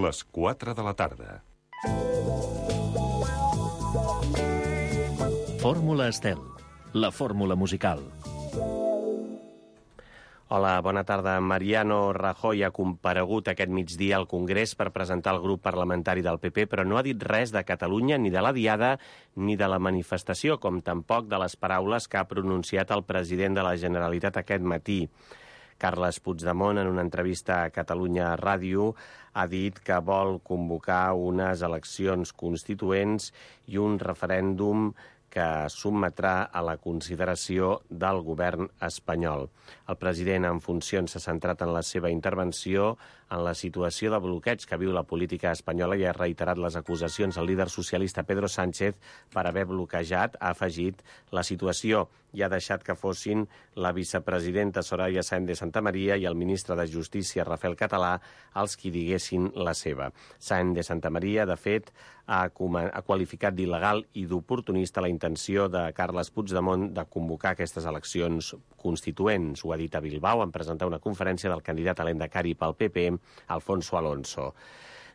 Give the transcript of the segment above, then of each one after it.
Les 4 de la tarda. Fórmula Estel, la fórmula musical. Hola, bona tarda. Mariano Rajoy ha comparegut aquest migdia al Congrés per presentar el grup parlamentari del PP, però no ha dit res de Catalunya, ni de la Diada, ni de la manifestació, com tampoc de les paraules que ha pronunciat el president de la Generalitat aquest matí. Carles Puigdemont, en una entrevista a Catalunya Ràdio, ha dit que vol convocar unes eleccions constituents i un referèndum que sotmetrà a la consideració del govern espanyol. El president en funcions s'ha centrat en la seva intervenció en la situació de bloqueig que viu la política espanyola i ha reiterat les acusacions al líder socialista Pedro Sánchez per haver bloquejat, ha afegit, la situació i ha deixat que fossin la vicepresidenta Soraya Sáenz de Santamaría i el ministre de Justícia Rafael Català els qui diguessin la seva. Sáenz de Santamaría, de fet, ha qualificat d'il·legal i d'oportunista la intenció de Carles Puigdemont de convocar aquestes eleccions constituents. Ho ha dit a Bilbao en presentar una conferència del candidat a l'endacari pel PP, Alfonso Alonso.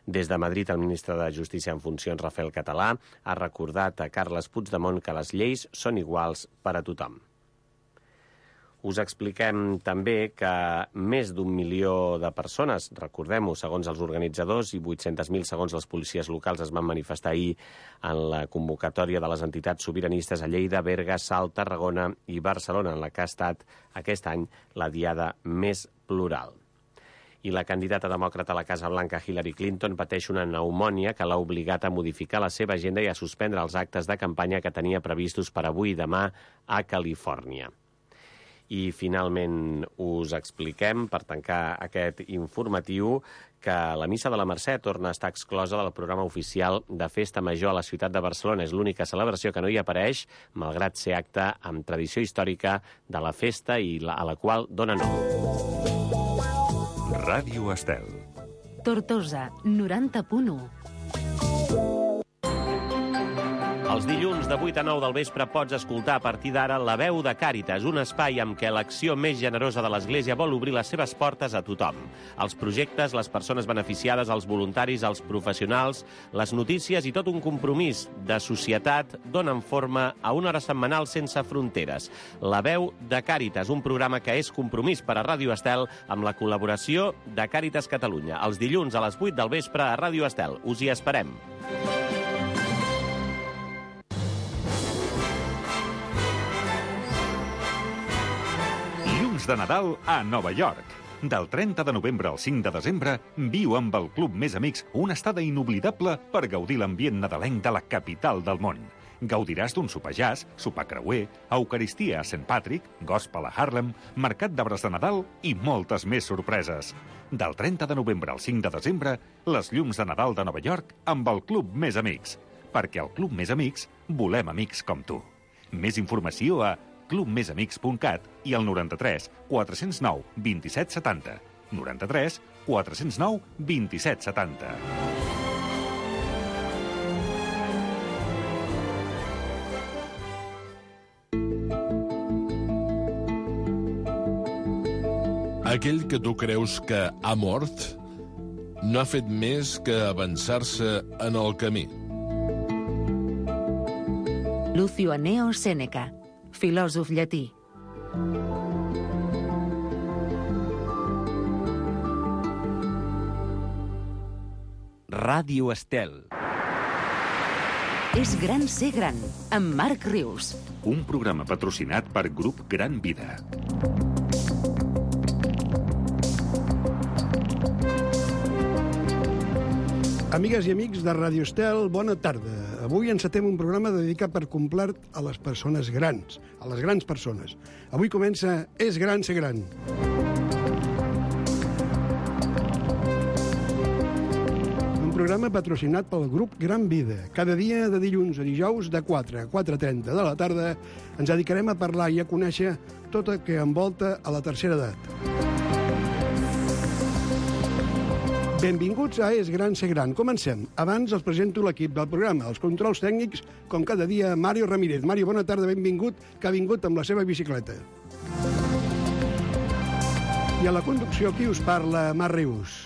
Des de Madrid, el ministre de Justícia en funcions, Rafael Català, ha recordat a Carles Puigdemont que les lleis són iguals per a tothom. Us expliquem també que més d'1 milió de persones, recordem-ho, segons els organitzadors, i 800.000 segons les policies locals, es van manifestar ahir en la convocatòria de les entitats sobiranistes a Lleida, Berga, Salt, Tarragona i Barcelona, en la que ha estat aquest any la diada més plural. I la candidata demòcrata a la Casa Blanca, Hillary Clinton, pateix una pneumònia que l'ha obligat a modificar la seva agenda i a suspendre els actes de campanya que tenia previstos per avui i demà a Califòrnia. I finalment us expliquem, per tancar aquest informatiu, que la Missa de la Mercè torna a estar exclosa del programa oficial de Festa Major a la ciutat de Barcelona. És l'única celebració que no hi apareix, malgrat ser acte amb tradició històrica de la festa i a la qual dona nom. Ràdio Estel. Tortosa, 90.1. Els dilluns de 8 a 9 del vespre pots escoltar a partir d'ara La Veu de Càritas, un espai amb què l'acció més generosa de l'Església vol obrir les seves portes a tothom. Els projectes, les persones beneficiades, els voluntaris, els professionals, les notícies i tot un compromís de societat donen forma a una hora setmanal sense fronteres. La Veu de Càritas, un programa que és compromís per a Ràdio Estel amb la col·laboració de Càritas Catalunya. Els dilluns a les 8 del vespre a Ràdio Estel. Us hi esperem. De Nadal a Nova York. Del 30 de novembre al 5 de desembre, viu amb el Club Més Amics una estada inoblidable per gaudir l'ambient nadalenc de la capital del món. Gaudiràs d'un sopar jazz, sopar creuer, eucaristia a St. Patrick, gospel a Harlem, mercat d'arbres de Nadal i moltes més sorpreses. Del 30 de novembre al 5 de desembre, les llums de Nadal de Nova York amb el Club Més Amics. Perquè al Club Més Amics volem amics com tu. Més informació a clubmesamics.cat i al 93 409 27 70. 93 409 27 70. Aquell que tu creus que ha mort no ha fet més que avançar-se en el camí. Lucio Anneo Sèneca, filòsof llatí. Ràdio Estel. És gran ser gran, amb Marc Rius. Un programa patrocinat per Grup Gran Vida. Amigues i amics de Ràdio Estel, bona tarda. Avui encetem un programa dedicat per complet a les persones grans, a les grans persones. Avui comença És gran ser gran. Un programa patrocinat pel grup Gran Vida. Cada dia de dilluns a dijous de 4 a 4:30 de la tarda ens dedicarem a parlar i a conèixer tot el que envolta a la tercera edat. Benvinguts a És gran ser gran. Comencem. Abans els presento l'equip del programa. Els controls tècnics, com cada dia, Mario Ramírez. Mario, bona tarda, benvingut, que ha vingut amb la seva bicicleta. I a la conducció, qui us parla? Marc Rius.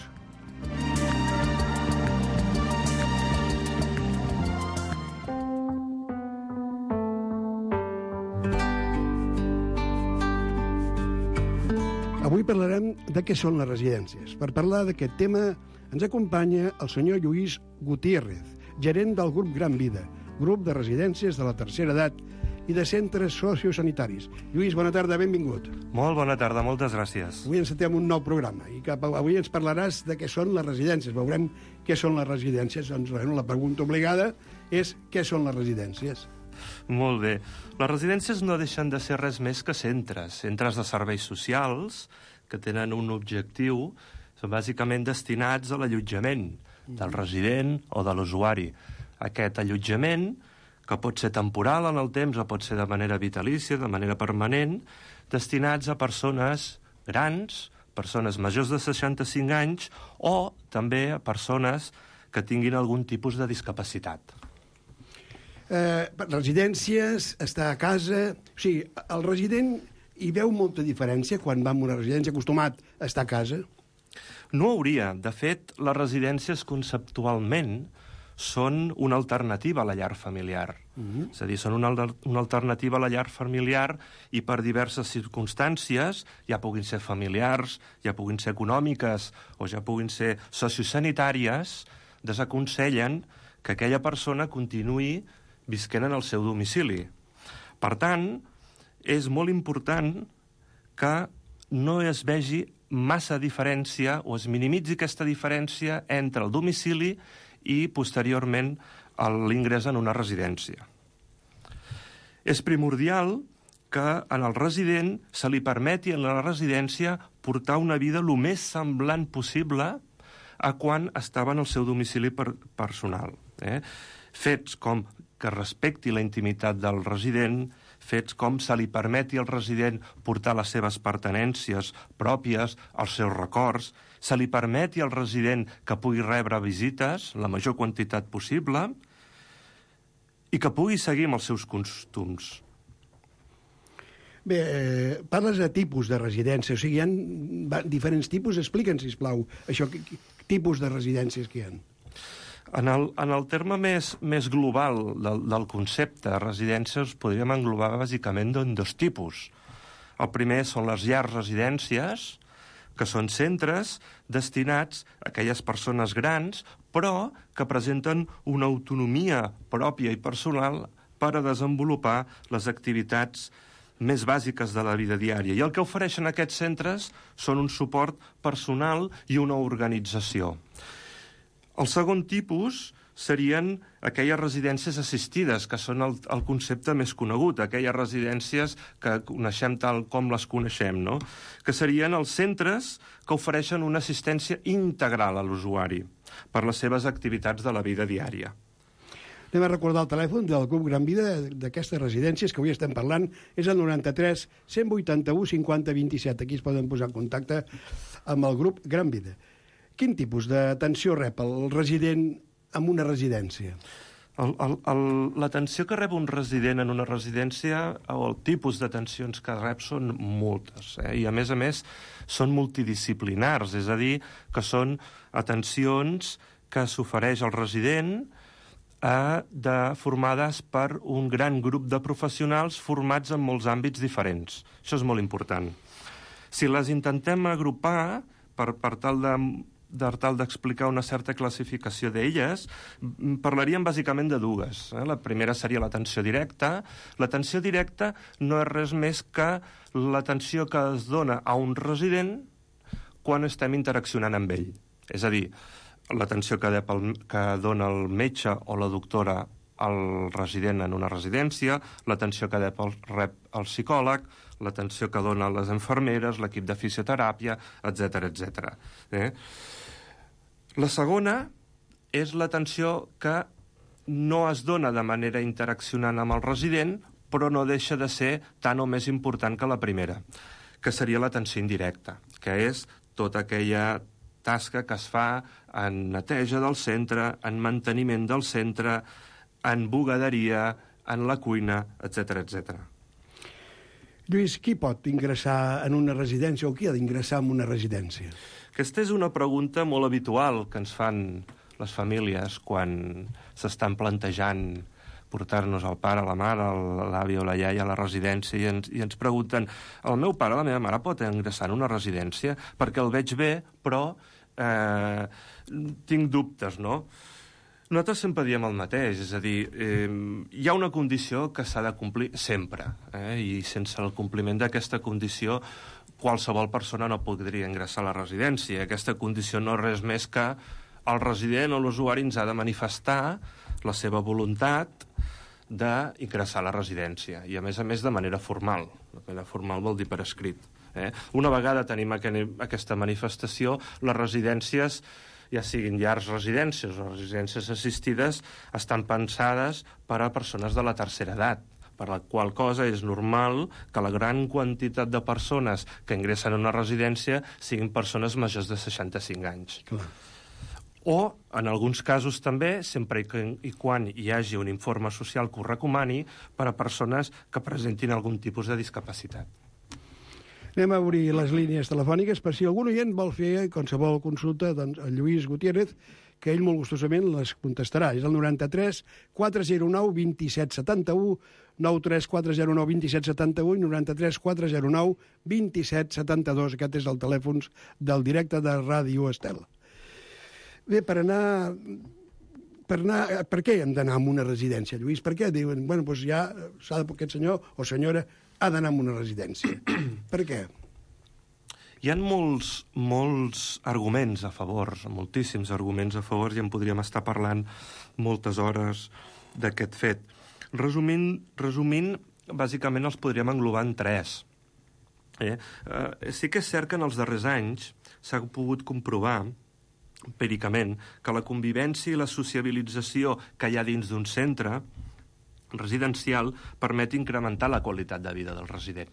Avui parlarem de què són les residències. Per parlar d'aquest tema ens acompanya el senyor Lluís Gutiérrez, gerent del grup Gran Vida, grup de residències de la tercera edat i de centres sociosanitaris. Lluís, bona tarda, benvingut. Molt bona tarda, moltes gràcies. Avui encetem un nou programa i avui ens parlaràs de què són les residències. Veurem què són les residències. Doncs, la pregunta obligada és què són les residències. Molt bé. Les residències no deixen de ser res més que centres de serveis socials que tenen un objectiu, són bàsicament destinats a l'allotjament del resident o de l'usuari. Aquest allotjament, que pot ser temporal en el temps o pot ser de manera vitalícia, de manera permanent, destinats a persones grans, persones majors de 65 anys o també a persones que tinguin algun tipus de discapacitat. Residències, estar a casa... O sigui, el resident hi veu molta diferència quan va a una residència acostumat a estar a casa? No hauria. De fet, les residències conceptualment són una alternativa a la llar familiar. És a dir, són una alternativa a la llar familiar i per diverses circumstàncies, ja puguin ser familiars, ja puguin ser econòmiques o ja puguin ser sociosanitàries, desaconsellen que aquella persona continuï visquent en el seu domicili. Per tant, és molt important que no es vegi massa diferència o es minimitzi aquesta diferència entre el domicili i, posteriorment, l'ingrés en una residència. És primordial que en el resident se li permeti en la residència portar una vida el més semblant possible a quan estava en el seu domicili personal. Fets com que respecti la intimitat del resident, fets com se li permeti al resident portar les seves pertinences pròpies, els seus records, se li permeti al resident que pugui rebre visites, la major quantitat possible, i que pugui seguir amb els seus costums. Bé, parles de tipus de residència, o sigui, hi ha diferents tipus. Explica'ns, sisplau, això, tipus de residències que hi ha. En el terme més global del concepte de residències podríem englobar bàsicament en dos tipus. El primer són les llars residències, que són centres destinats a aquelles persones grans, però que presenten una autonomia pròpia i personal per a desenvolupar les activitats més bàsiques de la vida diària. I el que ofereixen aquests centres són un suport personal i una organització. El segon tipus serien aquelles residències assistides, que són el concepte més conegut, aquelles residències que coneixem tal com les coneixem, no? Que serien els centres que ofereixen una assistència integral a l'usuari per les seves activitats de la vida diària. Anem a recordar el telèfon del Club Gran Vida d'aquestes residències que avui estem parlant. És el 93 181 50 27. Aquí es poden posar en contacte amb el grup Gran Vida. Quin tipus d'atenció rep el resident en una residència? L'atenció que rep un resident en una residència o el tipus d'atencions que rep són moltes, i a més són multidisciplinars, és a dir, que són atencions que s'ofereix al resident formades per un gran grup de professionals formats en molts àmbits diferents. Això és molt important. Si les intentem agrupar per tal d'explicar una certa classificació d'elles, parlaríem bàsicament de dues. La primera seria l'atenció directa. L'atenció directa no és res més que l'atenció que es dona a un resident quan estem interaccionant amb ell. És a dir, l'atenció que dona el metge o la doctora al resident en una residència, l'atenció que rep el psicòleg, l'atenció que dona les infermeres, l'equip de fisioteràpia, etc. La segona és l'atenció que no es dona de manera interaccionant amb el resident, però no deixa de ser tan o més important que la primera, que seria l'atenció indirecta, que és tota aquella tasca que es fa en neteja del centre, en manteniment del centre, en bugaderia, en la cuina, etc. Lluís, qui pot ingressar en una residència o qui ha d'ingressar en una residència? Aquesta és una pregunta molt habitual que ens fan les famílies quan s'estan plantejant portar-nos el pare, la mare, l'avi o la iaia a la residència i ens pregunten, el meu pare o la meva mare pot ingressar en una residència perquè el veig bé, però tinc dubtes, no? Nosaltres sempre diem el mateix, és a dir, hi ha una condició que s'ha de complir sempre, i sense el compliment d'aquesta condició qualsevol persona no podria ingressar a la residència. Aquesta condició no és res més que el resident o l'usuari ens ha de manifestar la seva voluntat d'ingressar a la residència, i a més de manera formal. De manera formal vol dir per escrit. Una vegada tenim aquesta manifestació, les residències, ja siguin llars residències o residències assistides, estan pensades per a persones de la tercera edat, per la qual cosa és normal que la gran quantitat de persones que ingressen a una residència siguin persones majors de 65 anys. Clar. O, en alguns casos també, sempre i quan hi hagi un informe social que ho recomani, per a persones que presentin algun tipus de discapacitat. Anem a obrir les línies telefòniques per si algun oient vol fer qualsevol consulta, doncs el Lluís Gutiérrez, que ell molt gustosament les contestarà. És el 93 409 27 71, 93 409 27 71 i 93 409 27 72. Aquest és el telèfon del directe de Ràdio Estel. Bé, per què hem d'anar a una residència, Lluís? Per què diuen, bueno, doncs ja aquest senyor o senyora ha d'anar a una residència? Per què? Hi ha molts arguments a favor, moltíssims arguments a favor, i en podríem estar parlant moltes hores d'aquest fet. Resumint, bàsicament els podríem englobar en tres. Sí que és cert que en els darrers anys s'ha pogut comprovar empíricament que la convivència i la sociabilització que hi ha dins d'un centre residencial permet incrementar la qualitat de vida del resident.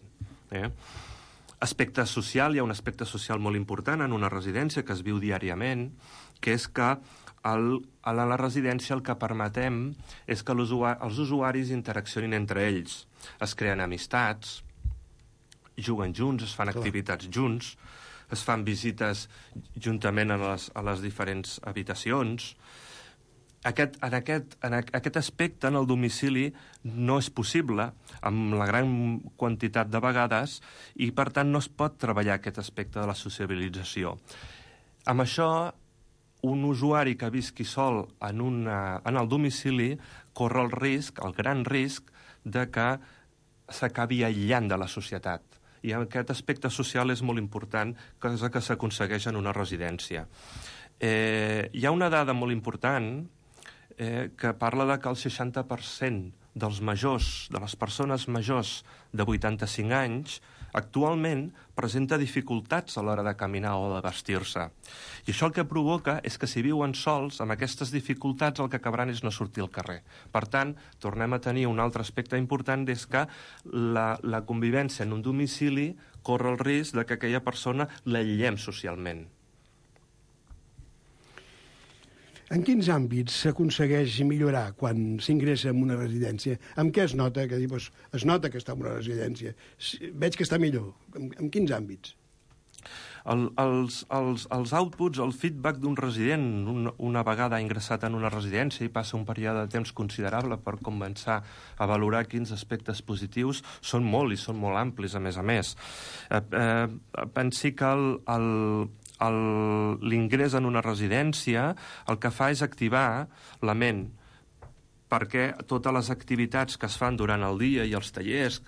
Aspecte social, hi ha un aspecte social molt important en una residència que es viu diàriament, que és que a la residència el que permetem és que els usuaris interaccionin entre ells. Es creen amistats, juguen junts, es fan activitats junts, es fan visites juntament a les diferents habitacions. Aquest aspecte en el domicili no és possible amb la gran quantitat de vegades i, per tant, no es pot treballar aquest aspecte de la sociabilització. Amb això, un usuari que visqui sol en el domicili corre el gran risc de que s'acabi aïllant de la societat. I aquest aspecte social és molt important, cosa que s'aconsegueix en una residència. Hi ha una dada molt important que parla de que el 60% dels majors, de les persones majors de 85 anys, actualment presenta dificultats a l'hora de caminar o de vestir-se. I això el que provoca és que si viuen sols, amb aquestes dificultats el que acabaran és no sortir al carrer. Per tant, tornem a tenir un altre aspecte important, és que la convivència en un domicili corre el risc de que aquella persona l'aïllem socialment. En quins àmbits s'aconsegueix millorar quan s'ingressa en una residència? Amb què es nota? Que es nota que està en una residència. Veig que està millor. En quins àmbits? Els outputs, el feedback d'un resident, una vegada ingressat en una residència i passa un període de temps considerable per començar a valorar quins aspectes positius, són molt i són molt amplis, a més. Pensi que l'ingrés en una residència el que fa és activar la ment, perquè totes les activitats que es fan durant el dia i els tallers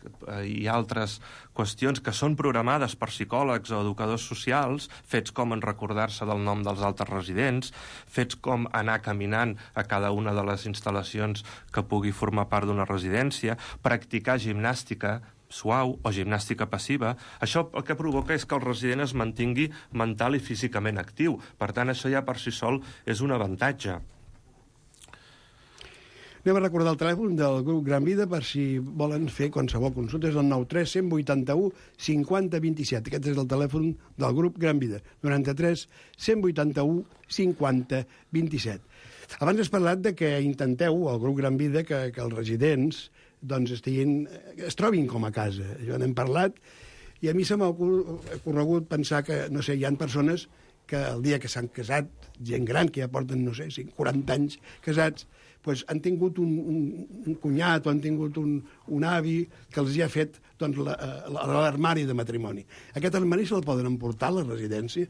i altres qüestions que són programades per psicòlegs o educadors socials, fets com en recordar-se del nom dels altres residents, fets com anar caminant a cada una de les instal·lacions que pugui formar part d'una residència, practicar gimnàstica suau o gimnàstica passiva, això el que provoca és que el resident es mantingui mental i físicament actiu. Per tant, això ja per si sol és un avantatge. Anem a recordar el telèfon del grup Gran Vida per si volen fer qualsevol consulta. És el 93 181 50 27. Aquest és el telèfon del grup Gran Vida. 93 181 50 27. Abans has parlat de que intenteu, el grup Gran Vida, que els residents doncs es trobin com a casa. Jo n'hem parlat i a mi se m'ha corregut pensar que, no sé, hi ha persones que el dia que s'han casat, gent gran, que ja porten, no sé, 40 anys casats, pues, han tingut un cunyat o han tingut un avi que els hi ha fet doncs, l'armari de matrimoni. Aquest armari se'l poden emportar a la residència?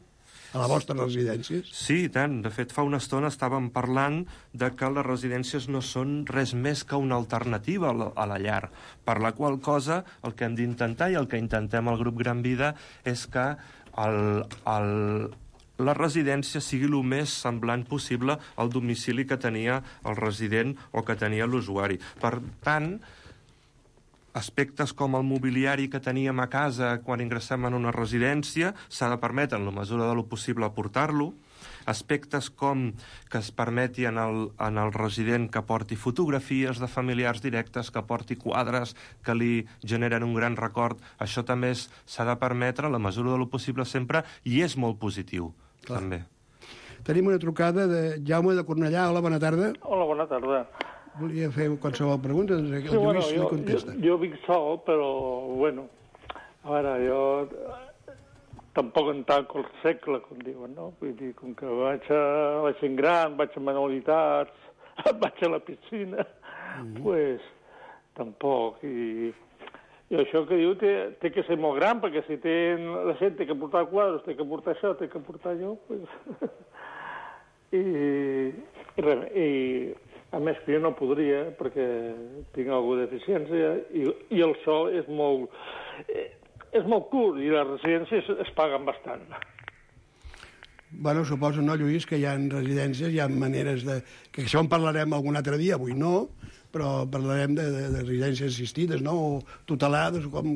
A les vostres residències? Sí, i tant. De fet, fa una estona estàvem parlant de que les residències no són res més que una alternativa a la llar, per la qual cosa el que hem d'intentar i el que intentem al grup Gran Vida és que la residència sigui el més semblant possible al domicili que tenia el resident o que tenia l'usuari. Per tant, aspectes com el mobiliari que teníem a casa quan ingressem en una residència s'ha de permetre, en la mesura de lo possible, aportar-lo. Aspectes com que es permeti en el resident que porti fotografies de familiars directes, que porti quadres que li generen un gran record, això també s'ha de permetre, en la mesura de lo possible sempre, i és molt positiu, clar, també. Tenim una trucada de Jaume de Cornellà. Hola, bona tarda. Hola, bona tarda. Volia fer qualsevol pregunta, doncs el Lluís li contesta. Jo vic sol, però, bueno, a veure, jo tampoc en tanco el segle, com diuen, no? Vull dir, com que vaig a la gent gran, vaig a manualitats, vaig a la piscina, pues, tampoc. I això que diu té que ser molt gran, perquè si la gent té que portar quadres, té que portar això, té que portar allò, pues... I a més que jo no podria, perquè tinc alguna deficiència, i el sol és molt curt, i les residències es paguen bastant. Bueno, suposo, no, Lluís, que hi ha residències, hi ha maneres de... que això en parlarem algun altre dia, avui no, però parlarem de residències assistides, no?, o tutelades, com...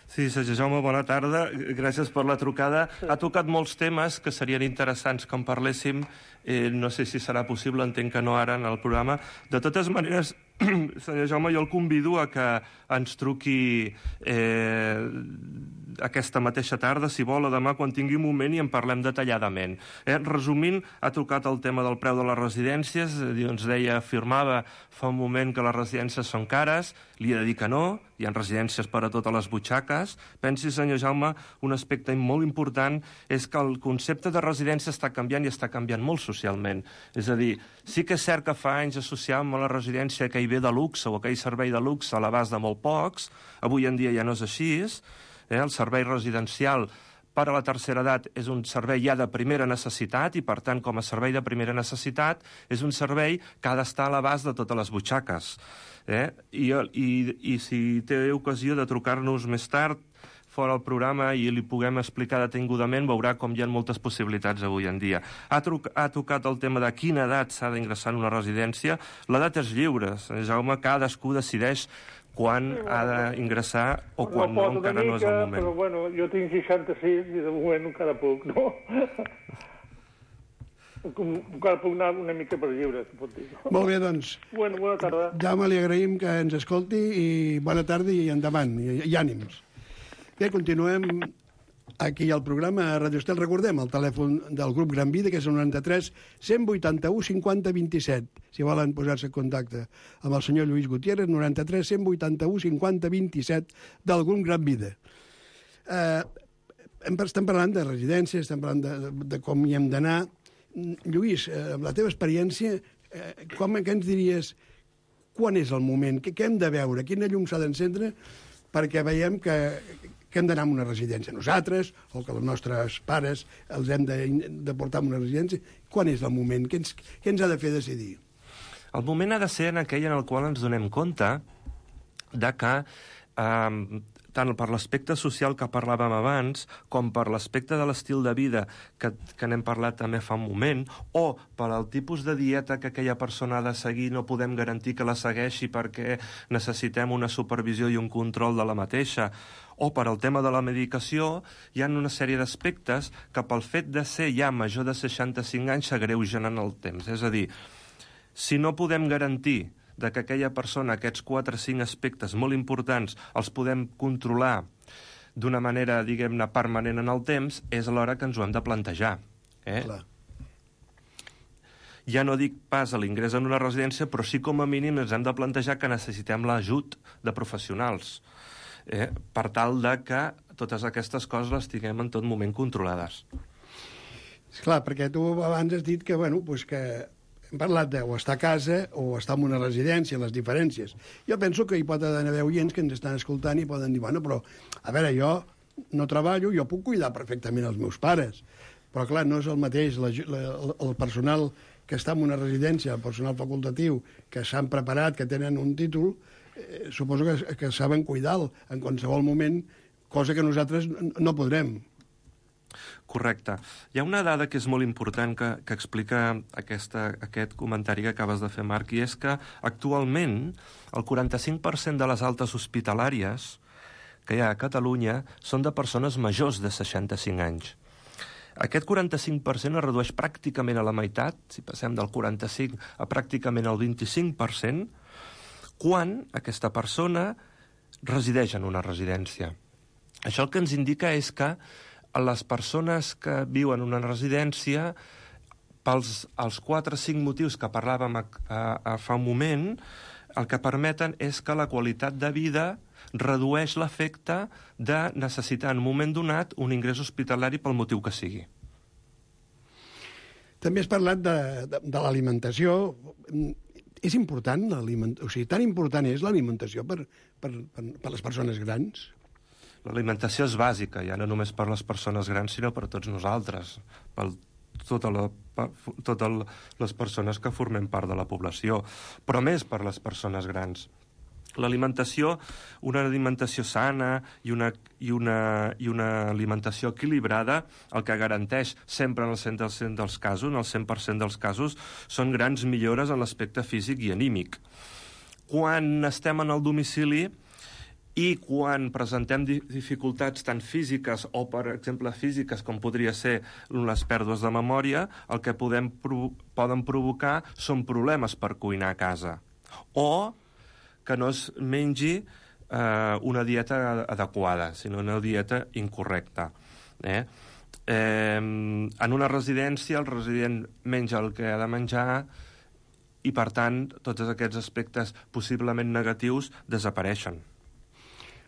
Sí, Sergi Jaume, bona tarda. Gràcies per la trucada. Ha tocat molts temes que serien interessants que en parléssim. No sé si serà possible, entenc que no ara en el programa. De totes maneres, senyor Jaume, jo el convido a que ens truqui aquesta mateixa tarda, si vol, o demà, quan tingui un moment, i en parlem detalladament. Resumint, ha tocat el tema del preu de les residències. Ens deia, afirmava fa un moment que les residències són cares. Li he de dir que no. Hi ha residències per a totes les butxaques. Pensi, senyor Jaume, un aspecte molt important és que el concepte de residència està canviant i està canviant molt socialment. És a dir, sí que és cert que fa anys associàvem a la residència aquell bé de luxe o aquell servei de luxe a l'abast de molt pocs. Avui en dia ja no és així. El servei residencial per a la tercera edat és un servei ja de primera necessitat i, per tant, com a servei de primera necessitat, és un servei que ha d'estar a l'abast de totes les butxaques. I si té ocasió de trucar-nos més tard, fora el programa, i li puguem explicar detingudament, veurà com hi ha moltes possibilitats avui en dia. Ha tocat el tema de quina edat s'ha d'ingressar en una residència. L'edat és lliure, Jaume, cadascú decideix quan ha d'ingressar o quan no, encara no és el moment. Però, bueno, jo tinc 66 i de moment encara puc, no? Encara puc anar una mica per lliure, si pot dir. Molt bé, doncs. Bueno, bona tarda. Jaume, li agraïm que ens escolti i bona tarda i endavant, i ànims. Bé, continuem aquí al programa a Radio Estel. Recordem el telèfon del grup Gran Vida, que és el 93 181 50 27. Si volen posar-se en contacte amb el senyor Lluís Gutiérrez, 93 181 50 27 del grup Gran Vida. Estem parlant de residències, estem parlant de com hi hem d'anar. Lluís, amb la teva experiència, què ens diries, quan és el moment? Què hem de veure? Quina llum s'ha d'encendre perquè veiem que hem d'anar a una residència nosaltres, o que els nostres pares els hem de portar a una residència? Quan és el moment? Què ens ha de fer decidir? El moment ha de ser en aquell en el qual ens donem compte de que tant per l'aspecte social que parlàvem abans, com per l'aspecte de l'estil de vida que n'hem parlat també fa un moment, o per al tipus de dieta que aquella persona ha de seguir, no podem garantir que la segueixi perquè necessitem una supervisió i un control de la mateixa, o per al tema de la medicació, hi ha una sèrie d'aspectes que pel fet de ser ja major de 65 anys s'agreugen en el temps. És a dir, si no podem garantir de que aquella persona, aquests 4 o 5 aspectes molt importants, els podem controlar d'una manera, diguem-ne, permanent en el temps, és l'hora que ens ho hem de plantejar. Clar. Ja no dic pas a l'ingrés en una residència, però sí com a mínim ens hem de plantejar que necessitem l'ajut de professionals, per tal de que totes aquestes coses les tinguem en tot moment controlades. Esclar, perquè tu abans has dit que, bueno, pues que hem parlat de o estar a casa o estar en una residència, les diferències. Jo penso que hi pot haver oients que ens estan escoltant i poden dir, bueno, però, a veure, jo no treballo, jo puc cuidar perfectament els meus pares, però, clar, no és el mateix el personal que està en una residència, el personal facultatiu, que s'han preparat, que tenen un títol, suposo que saben cuidar-lo en qualsevol moment, cosa que nosaltres no podrem. Correcte. Hi ha una dada que és molt important que explica aquest comentari que acabes de fer, Marc, i és que actualment el 45% de les altes hospitalàries que hi ha a Catalunya són de persones majors de 65 anys. Aquest 45% es redueix pràcticament a la meitat, si passem del 45 a pràcticament el 25%, quan aquesta persona resideix en una residència. Això el que ens indica és que les persones que viuen en una residència, pels 4 o 5 motius que parlàvem fa un moment, el que permeten és que la qualitat de vida redueix l'efecte de necessitar en un moment donat un ingrés hospitalari pel motiu que sigui. També has parlat de l'alimentació. És important l'alimentació? O sigui, tan important és l'alimentació per les persones grans? L'alimentació és bàsica, ja no només per les persones grans, sinó per tots nosaltres, per totes les persones que formem part de la població, però més per les persones grans. L'alimentació, una alimentació sana i una alimentació equilibrada, el que garanteix sempre en el 100% dels casos, en el 100% dels casos, són grans millores en l'aspecte físic i anímic. Quan estem en el domicili i quan presentem dificultats tant físiques o, per exemple, físiques, com podria ser les pèrdues de memòria, el que poden provocar són problemes per cuinar a casa. O que no es mengi una dieta adequada, sinó una dieta incorrecta. En una residència, el resident menja el que ha de menjar i, per tant, tots aquests aspectes possiblement negatius desapareixen.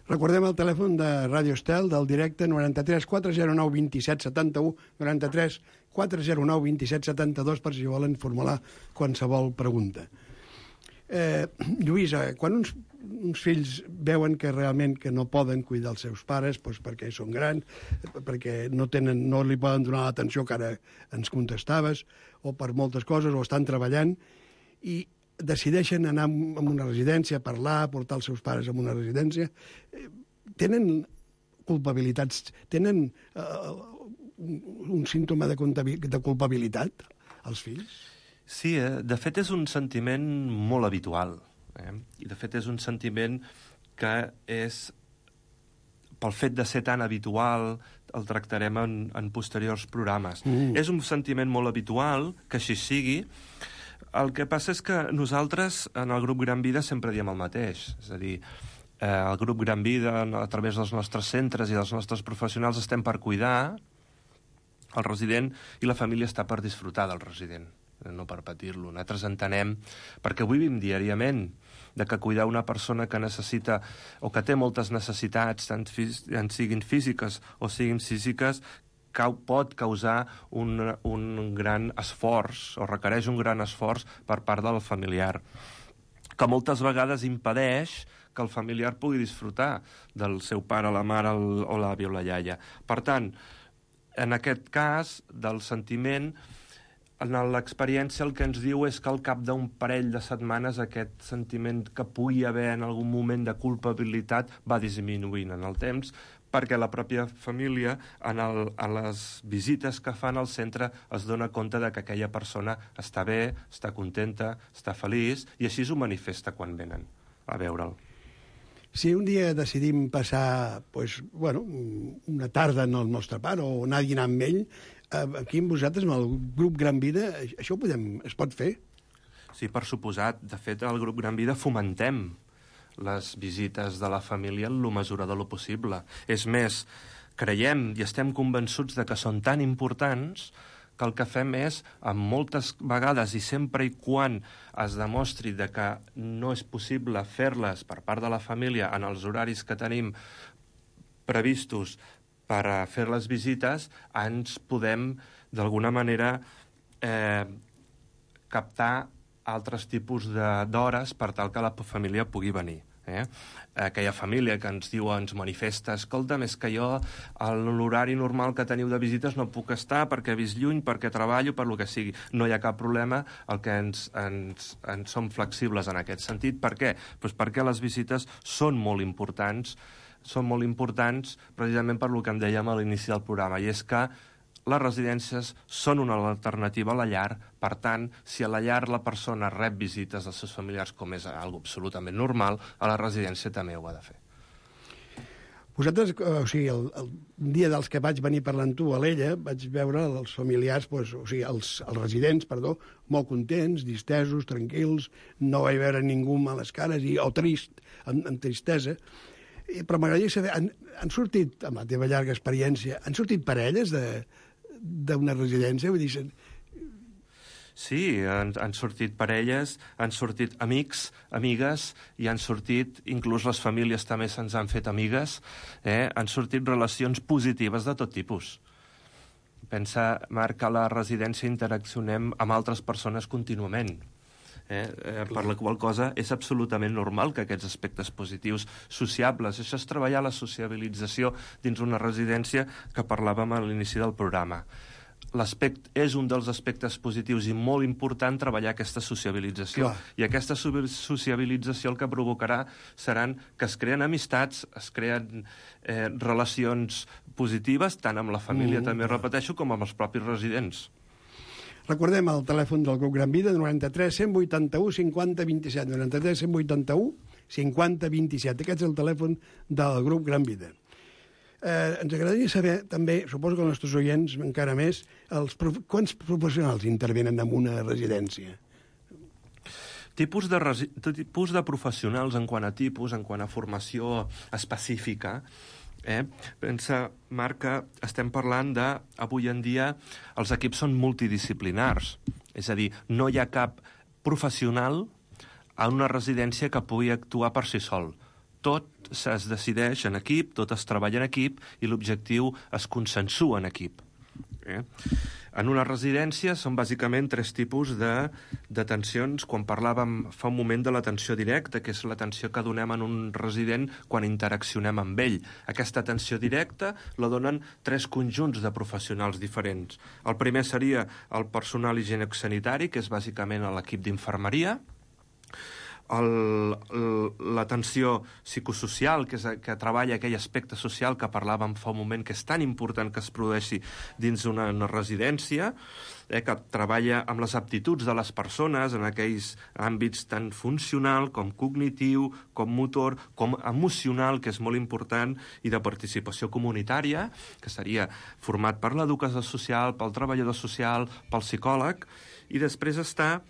Recordem el telèfon de Ràdio Estel del directe 93 409 27 71, 93 409 27 72, per si volen formular qualsevol pregunta. Lluïsa, quan uns fills veuen que realment que no poden cuidar els seus pares perquè són grans, perquè no li poden donar l'atenció que ara ens contestaves, o per moltes coses, o estan treballant, i decideixen anar a una residència, parlar, portar els seus pares a una residència, tenen culpabilitats, tenen un símptoma de culpabilitat, els fills? Sí, de fet és un sentiment molt habitual. I de fet és un sentiment que és, pel fet de ser tan habitual, el tractarem en posteriors programes. És un sentiment molt habitual, que així sigui. El que passa és que nosaltres, en el grup Gran Vida, sempre diem el mateix. És a dir, el grup Gran Vida, a través dels nostres centres i dels nostres professionals, estem per cuidar el resident i la família està per disfrutar del resident, no per patir-lo. Nosaltres entenem, perquè ho vivim diàriament, de que cuidar una persona que necessita o que té moltes necessitats, tant siguin físiques o siguin psíquiques, pot causar un gran esforç, o requereix un gran esforç per part del familiar, que moltes vegades impedeix que el familiar pugui disfrutar del seu pare, la mare, o l'avi o la iaia. Per tant, en aquest cas, del sentiment, en l'experiència el que ens diu és que al cap d'un parell de setmanes aquest sentiment que pugui haver en algun moment de culpabilitat va disminuint en el temps, perquè la pròpia família, en les visites que fan al centre, es dona compte de que aquella persona està bé, està contenta, està feliç, i així ho manifesta quan venen a veure'l. Si un dia decidim passar una tarda en el nostre pare o anar a dinar amb ell, aquí amb vosaltres, amb el grup Gran Vida, això es pot fer? Sí, per suposat. De fet, al grup Gran Vida fomentem les visites de la família en la mesura de lo possible. És més, creiem i estem convençuts de que són tan importants que el que fem és, amb moltes vegades i sempre i quan es demostri de que no és possible fer-les per part de la família en els horaris que tenim previstos per fer les visites, ens podem d'alguna manera, captar altres tipus d'hores per tal que la família pugui venir. Aquella família que ens diu, ens manifesta, escolta'm, és que jo a l'horari normal que teniu de visites no puc estar perquè he vist lluny, perquè treballo, per lo que sigui. No hi ha cap problema, el que ens som flexibles en aquest sentit. Per què? Pues perquè les visites són molt importants precisament per lo que em dèiem a l'inici del programa, i és que les residències són una alternativa a la llar. Per tant, si a la llar la persona rep visites dels seus familiars, com és algo absolutament normal, a la residència també ho ha de fer. Vosaltres, el dia dels que vaig venir parlant tu a l'Ella, vaig veure els familiars, els residents, molt contents, distesos, tranquils, no vaig veure ningú amb les cares, o trist, amb tristesa. Però m'agradaria saber, han sortit, amb la teva llarga experiència, han sortit parelles d'una residència? Vull dir... Sí, han sortit parelles, han sortit amics, amigues, i han sortit, inclús les famílies també se'ns han fet amigues, han sortit relacions positives de tot tipus. Pensa, Marc, que a la residència interaccionem amb altres persones contínuament. Per la qual cosa és absolutament normal que aquests aspectes positius sociables, això és treballar la sociabilització dins una residència que parlàvem a l'inici del programa. És un dels aspectes positius i molt important treballar aquesta sociabilització. I aquesta sociabilització el que provocarà seran que es creen amistats, es creen relacions positives, tant amb la família, també repeteixo, com amb els propis residents. Recordem el telèfon del grup Gran Vida, 93 181 50 27. 93 181 50 27. Aquest és el telèfon del grup Gran Vida. Ens agradaria saber, també, suposo que els nostres oients encara més, quants professionals intervenen en una residència? Tipus de professionals en quant a tipus, en quant a formació específica. Pensa, Marc, que estem parlant de, avui en dia, els equips són multidisciplinars. És a dir, no hi ha cap professional a una residència que pugui actuar per si sol. Tot es decideix en equip, tot es treballa en equip i l'objectiu es consensua en equip. En una residència són bàsicament 3 tipus d'atencions. Quan parlàvem fa un moment de l'atenció directa, que és l'atenció que donem en un resident quan interaccionem amb ell. Aquesta atenció directa la donen 3 conjunts de professionals diferents. El primer seria el personal higiènic-sanitari, que és bàsicament l'equip d'infermeria, l'atenció psicosocial, que treballa aquell aspecte social que parlàvem fa un moment, que és tan important que es produeixi dins una residència, que treballa amb les aptituds de les persones en aquells àmbits tan funcional com cognitiu, com motor, com emocional, que és molt important, i de participació comunitària, que seria format per l'educació social, pel treballador social, pel psicòleg, i després està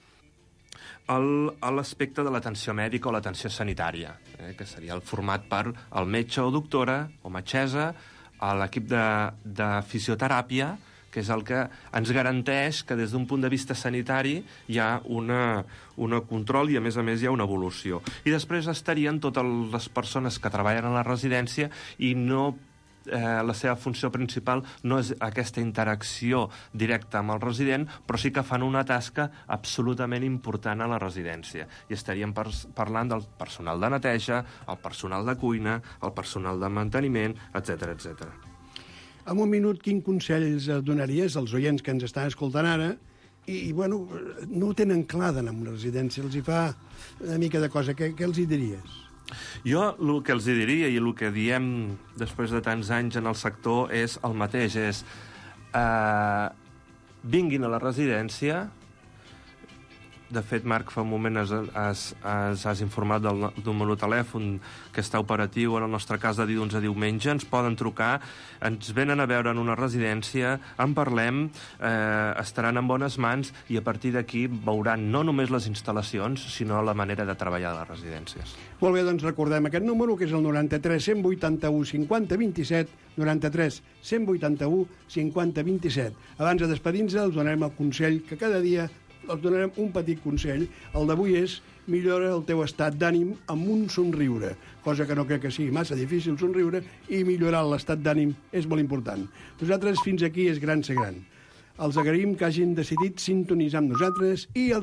l'aspecte de l'atenció mèdica o l'atenció sanitària, que seria el format per el metge o doctora o metgessa, l'equip de fisioteràpia, que és el que ens garanteix que des d'un punt de vista sanitari hi ha un control i, a més, hi ha una evolució. I després estarien totes les persones que treballen a la residència i la seva funció principal no és aquesta interacció directa amb el resident, però sí que fan una tasca absolutament important a la residència. I estaríem parlant del personal de neteja, el personal de cuina, el personal de manteniment, etc etc. En un minut, quin consells donaries als oients que ens estan escoltant ara i bueno, no ho tenen clar d'anar a una residència, els hi fa una mica de cosa, què els hi diries? Jo el que els diria i el que diem després de tants anys en el sector és el mateix, és vinguin a la residència. De fet, Marc, fa un moment has informat del número de telèfon que està operatiu, en el nostre cas de dilluns a diumenge. Ens poden trucar, ens venen a veure en una residència, en parlem, estaran en bones mans i a partir d'aquí veuran no només les instal·lacions, sinó la manera de treballar a les residències. Molt bé, doncs recordem aquest número, que és el 93 181 50 27, 93 181 50 27. Abans de despedir-nos, els donarem el consell que cada dia els donarem un petit consell. El d'avui és millora el teu estat d'ànim amb un somriure, cosa que no crec que sigui massa difícil somriure, i millorar l'estat d'ànim és molt important. Nosaltres fins aquí és gran ser gran. Els agraïm que hagin decidit sintonitzar amb nosaltres i els